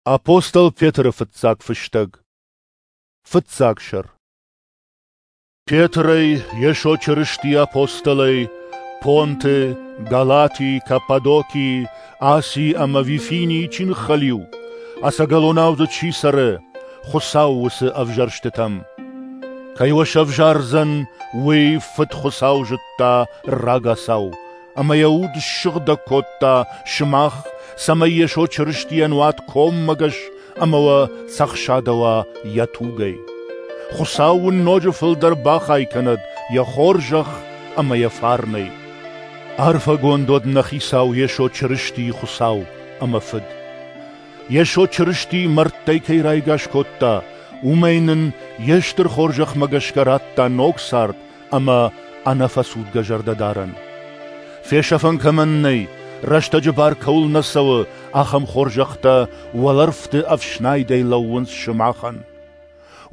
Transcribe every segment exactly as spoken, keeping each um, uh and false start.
Апостол Петры фыццаг фыстӕг. Фыццаг сӕр. Петрӕй, Йесо Чырыстийы апостолӕй, Понты, Галатийы, Каппадокийы, Асийы ӕмӕ Вифинийы чи ныххӕлиу, ӕцӕгӕлонау дзы чи цӕры, Хуыцауы уыцы ӕвзӕрстытӕм. Кӕй уӕ сӕвзардзӕн, уый Фыд Хуыцау зыдта рагацау, ӕмӕ йӕ уд ссыгъдӕг кодта сымах, цӕмӕй Йесо Чырыстийӕн уат коммӕгӕс ӕмӕ уӕ цӕхсадӕуа йӕ тугӕй. Хуыцау уын ноджы фылдӕр бахай кӕнӕд йӕ хорзӕх ӕмӕ йӕ фарнӕй. Арфӕгонд уӕд нӕ Хицау Йесо Чырыстийы Хуыцау ӕмӕ Фыд. Йесо Чырыстийы мӕрдтӕй кӕй райгас кодта, уымӕй нын йе стыр хорзӕхмӕ гӕсгӕ радта ног цард ӕмӕ ӕнӕфӕцудгӕ зӕрдӕдарӕн. Фесӕфӕн кӕмӕн нӕй, рӕстӕджы бар кӕуыл нӕ цӕуы, ахӕм хорзӕхтӕ уӕлӕрвты ӕфснайдӕй лӕууынц сымахӕн.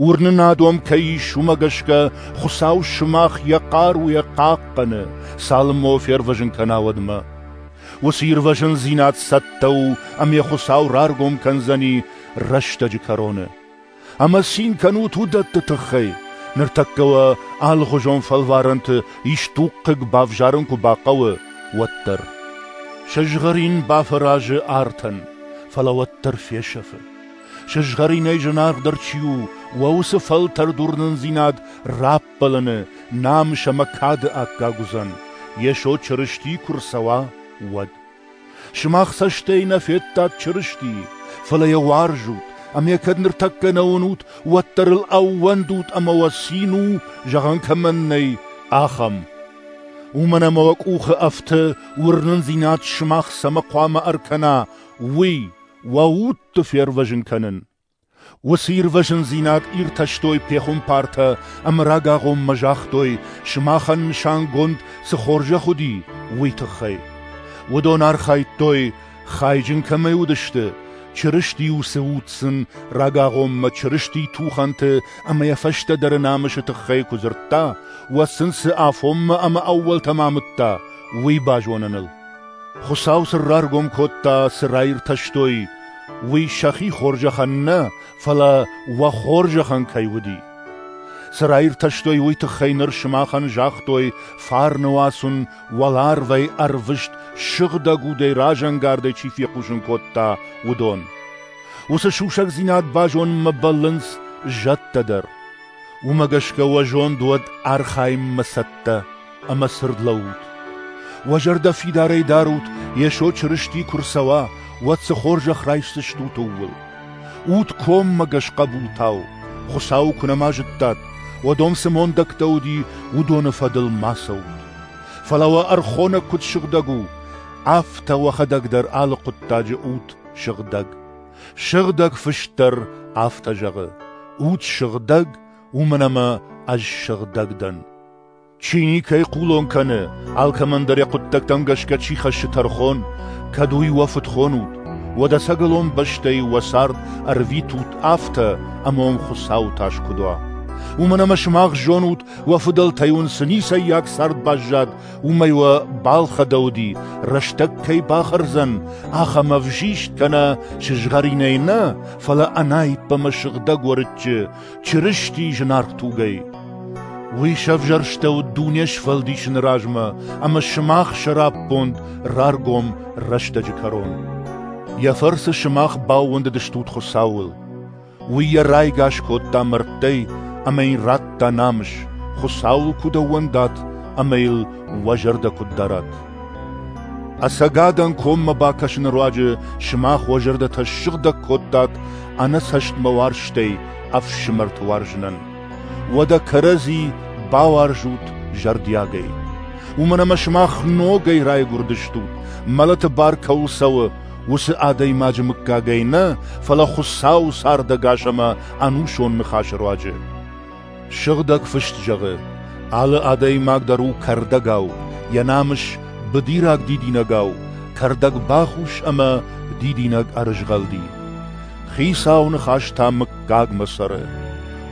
Уырнынад уӕм кӕй ис, уымӕ гӕсгӕ Хуыцау сымах йӕ хъаруйӕ хъахъхъӕны, цалынмӕ уӕ фервӕзын кӕна, уӕдмӕ. Уыцы ирвӕзындзинад цӕттӕ у ӕмӕ йӕ Хуыцау раргом кӕндзӕни рӕстӕджы кӕроны. Ӕмӕ цин кӕнут уыдӕтты тыххӕй, ныртӕккӕ уӕ алыхуызон фӕлварӕнты исдуг хъыг бавзарын куы бахъӕуы, уӕддӕр. Сызгъӕрин бафӕразы артӕн, фӕлӕ уӕддӕр фесӕфы. Сызгъӕринӕй зынаргъдӕр чи у, уӕ уыцы фӕлтӕрд уырнындзинад раппӕлыны, намыс ӕмӕ кады аккаг уыдзӕн, Йесо Чырысти куы рцӕуа, уӕд. Сымах цӕстӕй нӕ федтат Чырыстийы, фӕлӕ йӕ уарзут, ӕмӕ йӕ кӕд ныртӕккӕ нӕ уынут, уӕддӕр ыл ӕууӕндут ӕмӕ уӕ цин у, зӕгъӕн кӕмӕн нӕй, ахӕм. Уымӕн ӕмӕ уӕ къухы ӕфты, уырнындзинад сымах цӕмӕ хъуамӕ ӕркӕна, уый, уӕ удты фервӕзын кӕнын. Уыцы ирвӕзындзинад иртӕстой пехуымпартӕ ӕмӕ рагагъоммӕ загътой, сымахӕн нысангонд цы хорзӕх уыди, уый тыххӕй. Уыдон архайдтой, хайджын кӕмӕй уыдысты, Чырыстийы уыцы уд сын рагагъоммӕ Чырыстийы тухӕнты ӕмӕ йӕ фӕстӕдӕры намысы тыххӕй куы дзырдта, уӕд сын цы афонмӕ ӕмӕ ӕууӕлтӕм амыдта, уый базоныныл. Хуыцау сын раргом кодта, цы раиртӕстой, уый сӕхи хорзӕхӕн нӕ, фӕлӕ уӕ хорзӕхӕн кӕй уыди. Цы раиртӕстой, уый тыххӕй ныр сымахӕн загътой фарны уац уын уӕларвӕй ӕрвыст сыгъдӕг удӕй разӕнгардӕй чи фехъусын кодта, уыдон. Уыцы сусӕгдзинад базонынмӕ бӕллынц зӕдтӕ дӕр. Уымӕ гӕсгӕ уӕ зонд уӕд архайынмӕ цӕттӕ ӕмӕ цырд лӕуут. Уӕ зӕрдӕ фидарӕй дарут, Йесо Чырысти куы рцӕуа, уӕд цы хорзӕх райсдзыстут, ууыл. Ут коммӕгӕс хъӕбултау, Хуыцауы куы нӕма зыдтат, уӕд уӕм цы мондӕгтӕ уыди, уыдоны фӕдыл ма цӕут. Фӕлӕ уӕ ӕрхонӕг куыд сыгъдӕг у, афтӕ уӕхӕдӕг дӕр алы хъуыддаджы ут сыгъдӕг. Сыгъдӕг Фыст дӕр афтӕ зӕгъы: ут сыгъдӕг, уымӕн ӕмӕ ӕз сыгъдӕг дӕн. Чи никӕй хъулон кӕны, алкӕмӕн дӕр йӕ хъуыддӕгтӕм гӕсгӕ чи хӕссы тӕрхон, кӕд уый уӕ фыд хонут, уӕд ӕцӕгӕлон бӕстӕйы уӕ цард ӕрвитут афтӕ, ӕмӕ уӕм Хуыцауы тас куыд уа. Уымӕн ӕмӕ сымах зонут, уӕ фыдӕлтӕй уын цы ницӕййаг цард баззад, уымӕй уӕ балхӕдӕуыди, рӕстӕг кӕй бахӕрдзӕн, ахӕм ӕвзист кӕнӕ сызгъӕринӕй нӕ, фӕлӕ ӕнаипп ӕмӕ сыгъдӕг уӕрыччы, Чырыстийы зынаргъ тугӕй. Уый сӕвзӕрстӕуыд дуне сфӕлдисыны размӕ ӕмӕ сымах сӕраппонд раргом рӕстӕджы кӕрон. Йӕ фӕрцы сымах баууӕндыдыстут Хуыцауыл. Уый йӕ райгас кодта мӕрдтӕй ӕмӕ йын радта намыс, Хуыцауыл куыд ӕууӕндат ӕмӕ йыл уӕ зӕрдӕ куыд дарат. Ӕцӕгадӕн коммӕ бакӕсыны руаджы сымах уӕ зӕрдӕтӕ ссыгъдӕг кодтат ӕнӕцӕстмӕ уарзтӕй ӕфсымӕрты уарзынӕн. Уӕдӕ кӕрӕдзи бауарзут зӕрдиагӕй. Уымӕн ӕмӕ сымах ногӕй райгуырдыстут, мӕлӕты бар кӕуыл цӕуы, уыцы адӕймаджы мыггагӕй нӕ, фӕлӕ Хуыцауы цардӕгас ӕмӕ ӕнусон ныхасы руаджы. Сыгъдӕг Фыст зӕгъы: алы адӕймаг дӕр у кӕрдӕгау, йӕ намыс быдираг дидинӕгау, кӕрдӕг бахус ӕмӕ дидинӕг ӕрызгъӕлди. Хицауы ныхас та мыггагмӕ цӕры.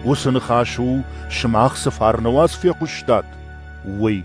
Уыцы ныхас у, сымах цы фарны уац фехъуыстат, уый.